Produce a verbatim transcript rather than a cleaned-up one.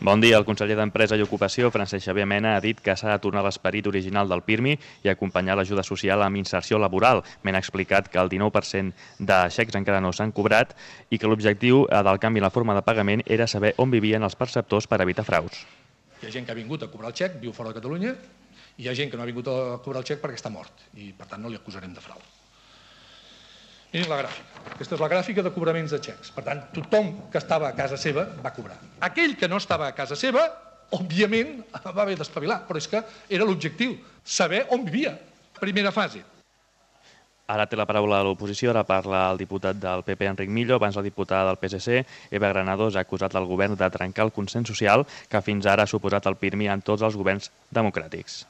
Bon dia. El conseller d'Empresa i Ocupació, Francesc Xavier Mena, ha dit que s'ha de tornar a l'esperit original del PIRMI i acompanyar l'ajuda social amb inserció laboral. Mena ha explicat que el dinou per cent de xecs encara no s'han cobrat i que l'objectiu del canvi en la forma de pagament era saber on vivien els perceptors per evitar fraus. Hi ha gent que ha vingut a cobrar el xec, viu fora de Catalunya, i hi ha gent que no ha vingut a cobrar el xec perquè està mort i, per tant, no li acusarem de frau. Mirin la gràfica. Aquesta és la gràfica de cobraments de xecs. Per tant, tothom que estava a casa seva va cobrar. Aquell que no estava a casa seva, òbviament, va haver d'espavilar, però és que era l'objectiu, saber on vivia. Primera fase. Ara té la paraula a l'oposició, ara parla el diputat del P P, Enric Millo. Abans la diputada del P S C, Eva Granados, ha acusat el govern de trencar el consens social que fins ara ha suposat el PIRMI en tots els governs democràtics.